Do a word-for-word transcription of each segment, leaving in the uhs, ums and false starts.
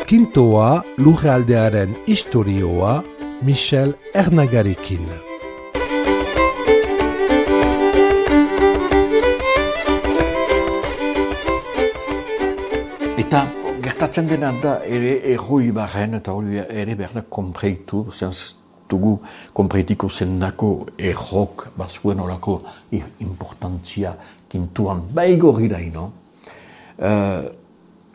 Kintoa lurraldearen istorioa Michel Ernagarekin. Eta gertatzen dena da ere erroi barren, eta hori ere behar da konpreitu, dugu konpreitiko zendako errok bazuen horako importantzia kintuan baigorri daino. Uh,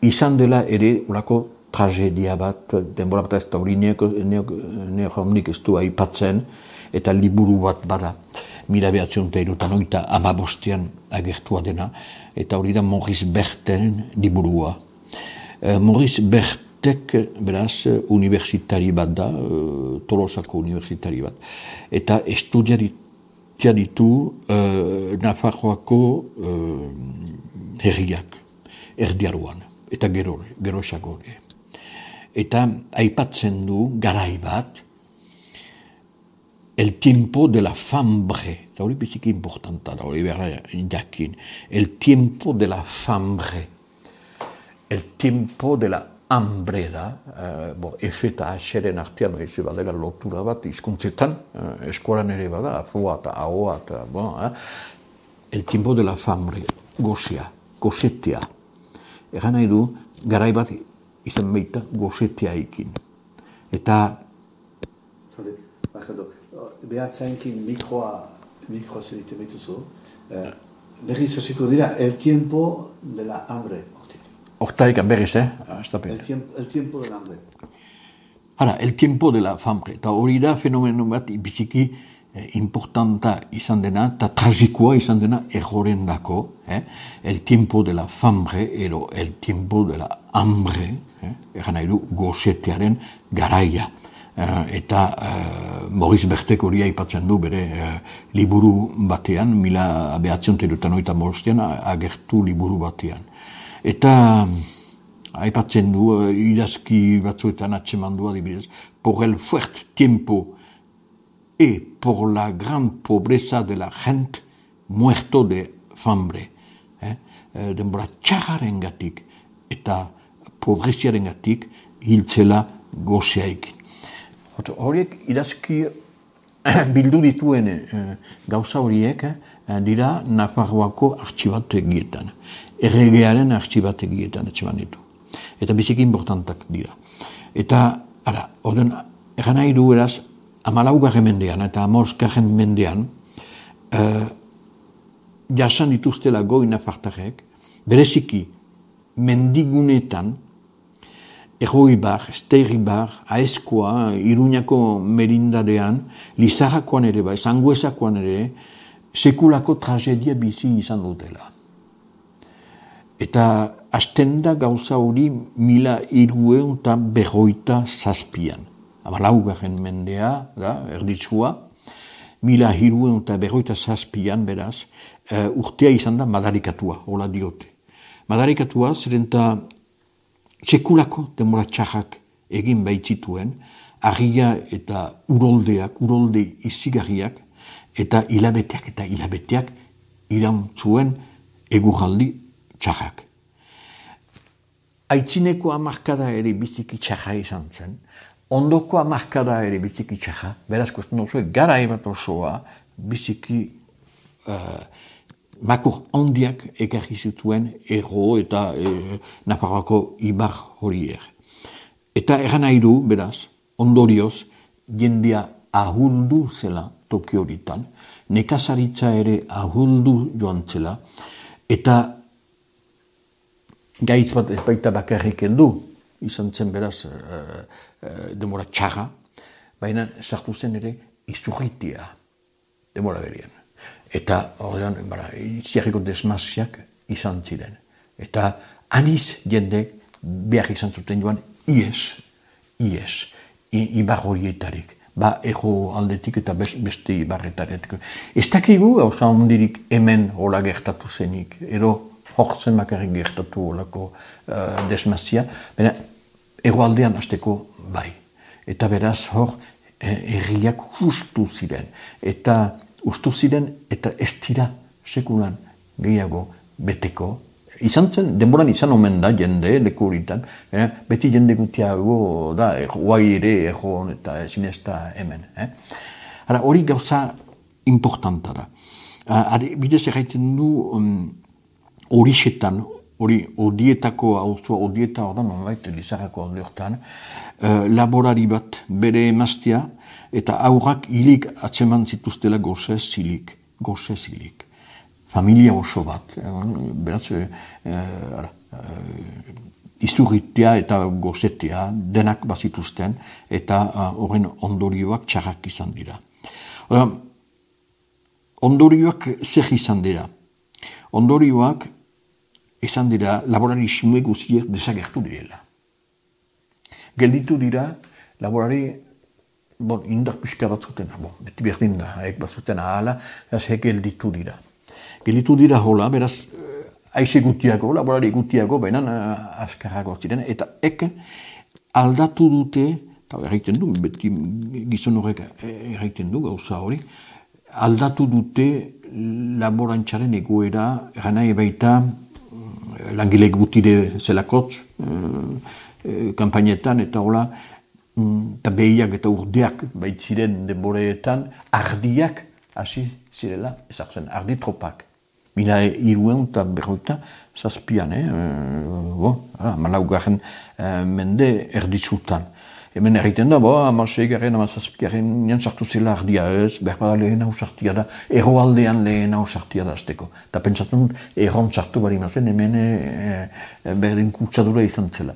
izan dela ere horako tragedia bat, denbora bat ez da hori neohamnik ez du aipatzen, eta liburu bat bada, mila behatzen eta irutan oita amabostean agertua dena, eta hori da Maurice Berten liburua. Uh, Maurice Bertek, beraz, universitari bat da, uh, Tolosako universitari bat, eta estudiaria ditu uh, Nafarroako uh, herriak, erdiaruan, eta gero, gero esagore. Eta aipatzen du garai bat, el tiempo de la fambre, eta hori biziki importanta da, hori behar jakin, el tiempo de la fambre, el tiempo de la hambre da, uh, bo, F eta H-ren artean, ez badela lotura bat, izkuntzetan, uh, eskolan ere bada, afoa eta ahoa, eta, bon, eh? El tiempo de la fambre, gozea, gozetea. Egan nahi du, garai bat izan baita gozetea ikin. Eta... Zade, bakado, behatzainkin mikroa, mikroa zerite betuzu, eh, berriz hasiko dira, el tiempo de la hambre. Hortarikan berriz, eh? El tiempo, el tiempo de la hambre. Hala, el tiempo de la fambre. Eta hori da fenomeno bat biziki eh, importanta izan dena, eta tragikoa izan dena erroren dako. Eh? El tiempo de la fambre, ero el tiempo de la hambre, eh? Egan nahi du gozetearen garaia. Eh, eta eh, Maurice Bertek hori aipatzen du bere eh, liburu batean, mila behatzen terutan oita mostean, agertu liburu batean. Eta aipatzen du, idazki batzuetan atxemandua adibidez, por el fuerte tiempo et por la gran pobreza de la gente muerto de fambre. Eh? Denbora txarraren gatik eta pobreziaren gatik hiltzela gozeaikin. Horiek idazki bildu dituen eh, gauza horiek eh, dira Nafarroako artxibategietan. Erregearen artxibategietan etxeman ditu. Eta biziki importantak dira. Eta, ara, orden, egan nahi du eraz, amalaugarren mendean eta amoroskarren mendean, eh, jasan dituztela goi nafartarek, bereziki mendigunetan, Erroibar, Esteiribar, Aezkoa, Iruñako merindadean, Lizarrakoan ere, bai, Zanguezakoan ere, sekulako tragedia bizi izan dutela. Eta hasten da gauza hori mila hiruehun eta berroita zazpian. Amalaugarren mendea, da, erditsua, mila hiruehun eta berroita zazpian, beraz, uh, urtea izan da madarikatua, hola diote. Madarikatua, zeren eta sekulako denbora txarrak egin baitzituen, argia eta uroldeak, urolde izigarriak, eta hilabeteak eta hilabeteak irantzuen eguraldi txarrak. Aitzineko hamarkada ere biziki txarra izan zen, ondoko hamarkada ere biziki txarra, beraz kosten oso, gara ebat osoa biziki uh, makur handiak ekarri zituen erro eta e, Nafarroako ibar horiek. Eta eran nahi du, beraz, ondorioz, jendea ahuldu zela toki horitan, nekazaritza ere ahuldu joan zela, eta gaitz bat ez baita bakarrik heldu, izan zen beraz e, e, demora txarra, baina sartu zen ere izurritia demora berien. Eta horrean, ziarriko desmaziak izan ziren. Eta aniz jendek behar izan zuten joan ies, ies, ibar horietarik. Ba, ego aldetik eta beste ibarretaretik. Ez dakigu gauza ondirik hemen hola gertatu zenik, edo horzen bakarrik gertatu holako uh, desmazia, baina ego aldean hasteko bai. Eta beraz hor, herriak justu ziren. Eta ustu ziren eta ez dira sekulan gehiago beteko izan zen, denboran izan omen da jende, leku horitan, eh? beti jende gutiago da, guai ere, egon eta ezin ez da hemen. Eh? Ara, hori gauza importanta da. Are, bidez erraiten du hori um, xetan, hori odietako hauzoa, odieta hori nonbait, Lizarrako alde hortan, uh, laborari bat bere emaztea, eta aurrak hilik atseman zituztela goze zilik, goze zilik. Familia oso bat, beraz, eh, ara, eh, izurritea eta gozetea denak bazituzten, eta horren uh, ondorioak txarrak izan dira. Ora, ondorioak zer izan dira? Ondorioak izan dira laborarismo guziek desagertu direla. Gelditu dira laborari bon, indar pixka bat zuten, bon, beti berdin da, haek bat zuten ahala, ez gelditu dira. Gelditu dira hola, beraz, aize gutiago, laborari gutiago, baina askarrago ziren, eta ek aldatu dute, eta erraiten du, beti gizon horrek erraiten du, gauza hori, aldatu dute laborantxaren egoera, ganai baita, langile gutire zelakotz, kampainetan, eta hola, eta behiak eta urdeak baitziren denboreetan, ardiak hasi zirela, ezartzen, ardi tropak. Mila iruen eta berroita zazpian, eh? Bo, malaugarren mende erditzutan. Hemen erraiten da, bo, amasegaren, amazazpikaren, nian sartu zela ardia ez, berbara lehen hau sartia da, erroaldean lehen hau sartia da azteko. Eta pentsatzen dut, erron sartu bari mazen, hemen e, e, berdin kutsadura izan zela.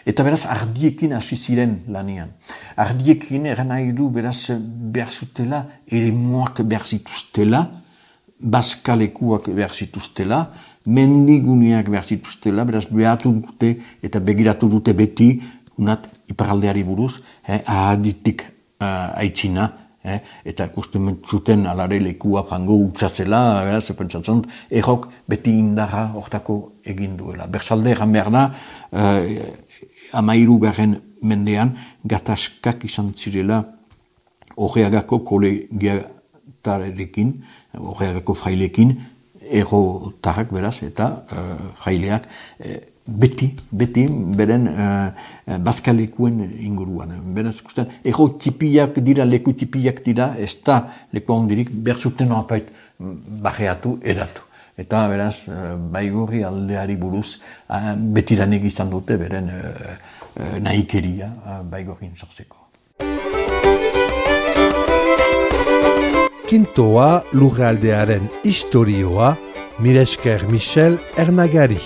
Eta beraz, ardiekin hasi ziren lanean. Ardiekin eran nahi du, beraz, behar zutela, ere moak behar zituztela, bazkalekuak behar zituztela, mendiguneak behar zituztela, beraz, behatu dute eta begiratu dute beti, unat, iparaldeari buruz, eh, ahaditik uh, aitzina, eh, eta ikusten zuten alare lekua jango utzatzela, beraz, pentsatzen, errok beti indarra hortako egin duela. Berzalde egan behar da, uh, amairu garen mendean, gatazkak izan zirela Horreagako kolegiatarekin, Horreagako frailekin, errotarrak beraz, eta uh, fraileak uh, beti, beti, beren uh, bazkalekuen inguruan. Beraz, ikusten, erro tipiak dira, leku tipiak dira, ez da leku handirik, berzuten apait bajeatu, edatu. Eta beraz, uh, baigorri aldeari buruz, uh, betidanik izan dute, beren uh, uh, nahikeria uh, baigorrin sortzeko. Kintoa lurraldearen historioa, mila esker Michel Ernagari.